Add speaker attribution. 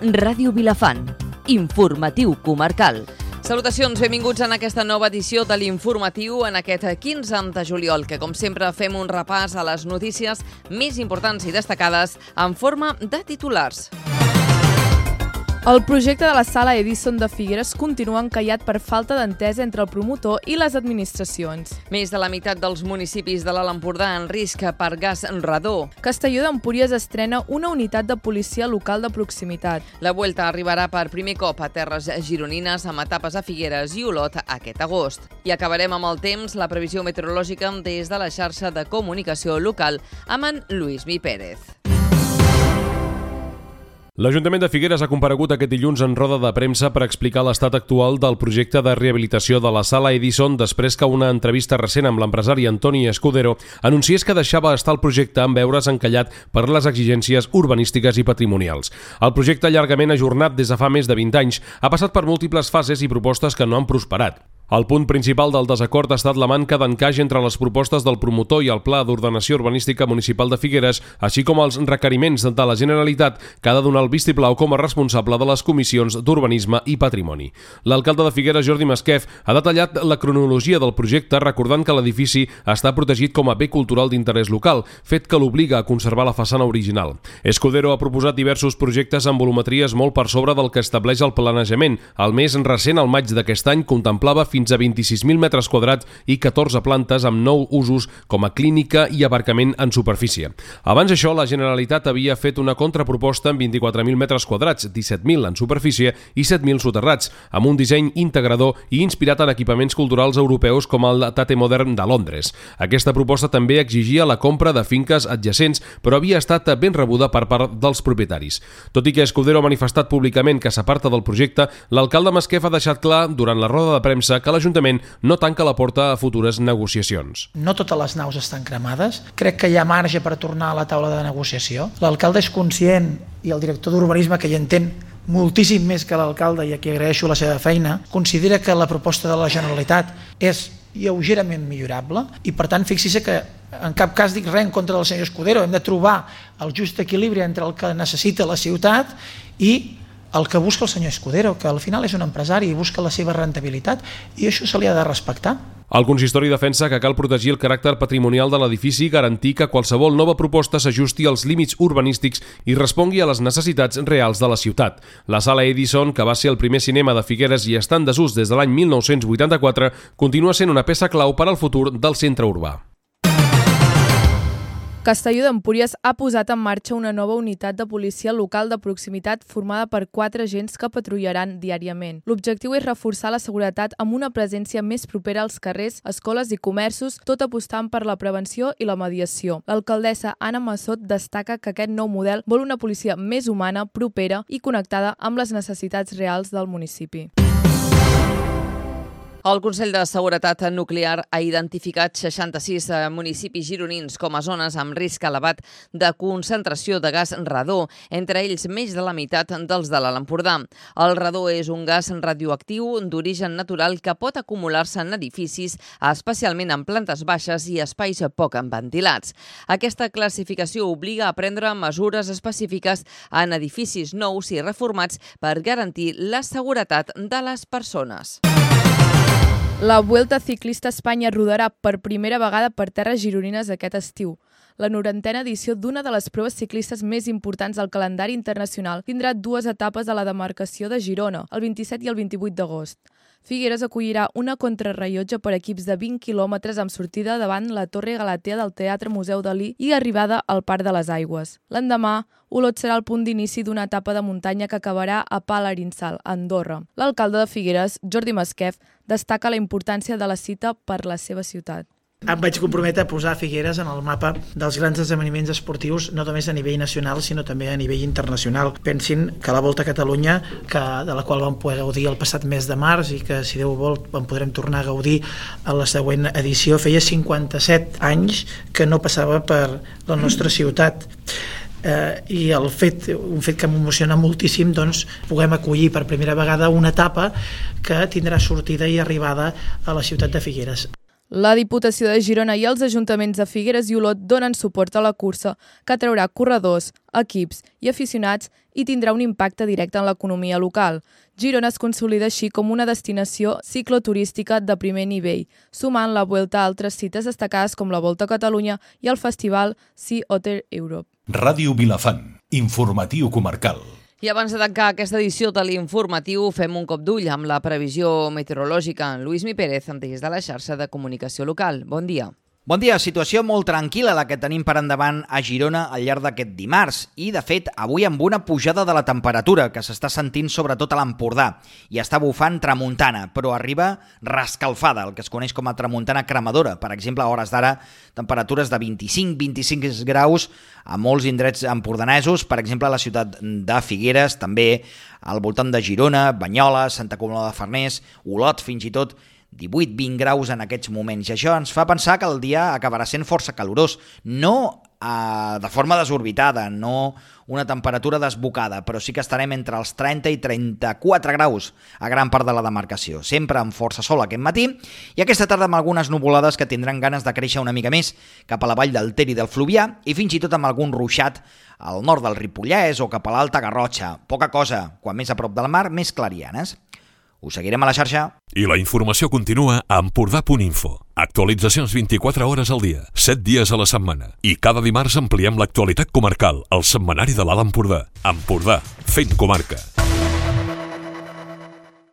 Speaker 1: Ràdio Vilafant, informatiu comarcal.
Speaker 2: Salutacions, benvinguts en aquesta nova edició de l'Informatiu en aquest 15 de juliol, que com sempre fem un repàs a les notícies més importants i destacades en forma de titulars.
Speaker 3: El projecte de la Sala Edison de Figueres continua encallat per falta d'entesa entre el promotor i les administracions.
Speaker 2: Més de la meitat dels municipis de l'Alt Empordà en risc per gas radó.
Speaker 3: Castelló d'Empúries estrena una unitat de policia local de proximitat.
Speaker 2: La Vuelta arribarà per primer cop a terres gironines amb etapes a Figueres i Olot aquest agost. I acabarem amb el temps, la previsió meteorològica des de la xarxa de comunicació local amb en Lluís Mi Pérez.
Speaker 4: L'Ajuntament de Figueres ha comparegut aquest dilluns en roda de premsa per explicar l'estat actual del projecte de rehabilitació de la Sala Edison després que una entrevista recent amb l'empresari Antoni Escudero anunciés que deixava estar el projecte en veure's encallat per les exigències urbanístiques i patrimonials. El projecte, llargament ajornat des de fa més de 20 anys, ha passat per múltiples fases i propostes que no han prosperat. El punt principal del desacord ha estat la manca d'encaix entre les propostes del promotor i el Pla d'Ordenació Urbanística Municipal de Figueres, així com els requeriments de la Generalitat que ha de donar el vistiplau com a responsable de les comissions d'Urbanisme i Patrimoni. L'alcalde de Figueres, Jordi Masquef, ha detallat la cronologia del projecte recordant que l'edifici està protegit com a bé cultural d'interès local, fet que l'obliga a conservar la façana original. Escudero ha proposat diversos projectes amb volumetries molt per sobre del que estableix el planejament. El més recent, al maig d'aquest any, contemplava fins a 26.000 metres quadrats i 14 plantes amb 9 usos com a clínica i aparcament en superfície. Abans d'això, la Generalitat havia fet una contraproposta amb 24.000 metres quadrats, 17.000 en superfície i 7.000 soterrats, amb un disseny integrador i inspirat en equipaments culturals europeus com el Tate Modern de Londres. Aquesta proposta també exigia la compra de finques adjacents, però havia estat ben rebuda per part dels propietaris. Tot i que Escudero ha manifestat públicament que s'aparta del projecte, l'alcalde Masquef ha deixat clar durant la roda de premsa que l'Ajuntament no tanca la porta a futures negociacions.
Speaker 5: No totes les naus estan cremades. Crec que hi ha marge per tornar a la taula de negociació. L'alcalde és conscient, i el director d'Urbanisme, que hi entén moltíssim més que l'alcalde i a qui agraeixo la seva feina, considera que la proposta de la Generalitat és lleugerament millorable i, per tant, fixi-se que en cap cas dic res en contra del senyor Escudero. Hem de trobar el just equilibri entre el que necessita la ciutat i el que busca el senyor Escudero, que al final és un empresari i busca la seva rentabilitat, i això se li ha de respectar.
Speaker 4: El consistori defensa que cal protegir el caràcter patrimonial de l'edifici i garantir que qualsevol nova proposta s'ajusti als límits urbanístics i respongui a les necessitats reals de la ciutat. La Sala Edison, que va ser el primer cinema de Figueres i està en desús des de l'any 1984, continua sent una peça clau per al futur del centre urbà.
Speaker 3: Castelló d'Empúries ha posat en marxa una nova unitat de policia local de proximitat formada per 4 agents que patrullaran diàriament. L'objectiu és reforçar la seguretat amb una presència més propera als carrers, escoles i comerços, tot apostant per la prevenció i la mediació. L'alcaldessa Anna Massot destaca que aquest nou model vol una policia més humana, propera i connectada amb les necessitats reals del municipi.
Speaker 2: El Consell de Seguretat Nuclear ha identificat 66 municipis gironins com a zones amb risc elevat de concentració de gas radó, entre ells més de la meitat dels de l'Alt Empordà. El radó és un gas radioactiu d'origen natural que pot acumular-se en edificis, especialment en plantes baixes i espais poc ventilats. Aquesta classificació obliga a prendre mesures específiques en edificis nous i reformats per garantir la seguretat de les persones.
Speaker 3: La Vuelta Ciclista a Espanya rodarà per primera vegada per terres gironines aquest estiu. La 90a edició d'una de les proves ciclistes més importants del calendari internacional tindrà 2 etapes a la demarcació de Girona, el 27 i el 28 d'agost. Figueres acollirà una contrarrellotge per equips de 20 quilòmetres amb sortida davant la Torre Galatea del Teatre Museu Dalí i arribada al Parc de les Aigües. L'endemà, Olot serà el punt d'inici d'una etapa de muntanya que acabarà a Palarinsal, a Andorra. L'alcalde de Figueres, Jordi Masquef, destaca la importància de la cita per la seva ciutat.
Speaker 5: Em vaig comprometre a posar Figueres en el mapa dels grans esdeveniments esportius, no només a nivell nacional, sinó també a nivell internacional. Pensin que la Volta a Catalunya, de la qual vam poder gaudir el passat mes de març i que, si Déu vol, en podrem tornar a gaudir a la següent edició, feia 57 anys que no passava per la nostra ciutat. I un fet que m'emociona moltíssim, doncs, puguem acollir per primera vegada una etapa que tindrà sortida i arribada a la ciutat de Figueres.
Speaker 3: La Diputació de Girona i els ajuntaments de Figueres i Olot donen suport a la cursa, que atraurà corredors, equips i aficionats i tindrà un impacte directe en l'economia local. Girona es consolida així com una destinació cicloturística de primer nivell, sumant la Vuelta a altres cites destacades com la Volta a Catalunya i el festival Sea Otter Europe.
Speaker 6: Ràdio Vilafant, informatiu comarcal.
Speaker 2: I abans de tancar aquesta edició de l'informatiu, fem un cop d'ull amb la previsió meteorològica. Lluís Mi Pérez, des de la xarxa de comunicació local. Bon dia.
Speaker 7: Bon dia, situació molt tranquil·la la que tenim per endavant a Girona al llarg d'aquest dimarts i, de fet, avui amb una pujada de la temperatura que s'està sentint sobretot a l'Empordà i està bufant tramuntana, però arriba rescalfada, el que es coneix com a tramuntana cremadora. Per exemple, a hores d'ara, temperatures de 25 graus a molts indrets empordanesos, per exemple a la ciutat de Figueres, també al voltant de Girona, Banyoles, Santa Coloma de Farners, Olot, fins i tot 18-20 graus en aquests moments. I això ens fa pensar que el dia acabarà sent força calorós, no de forma desorbitada, no una temperatura desbocada, però sí que estarem entre els 30 i 34 graus a gran part de la demarcació, sempre amb força sol aquest matí, i aquesta tarda amb algunes nuvolades que tindran ganes de créixer una mica més cap a la vall del Ter i del Fluvià, i fins i tot amb algun ruixat al nord del Ripollès o cap a l'Alta Garrotxa. Poca cosa, quan més a prop del mar, més clarianes. Us seguirem a la xarxa.
Speaker 6: I la informació continua a Empordà.info. Actualitzacions 24 hores al dia, 7 dies a la setmana. I cada dimarts ampliem l'actualitat comarcal, al setmanari de l'Alt Empordà. Empordà, fent comarca.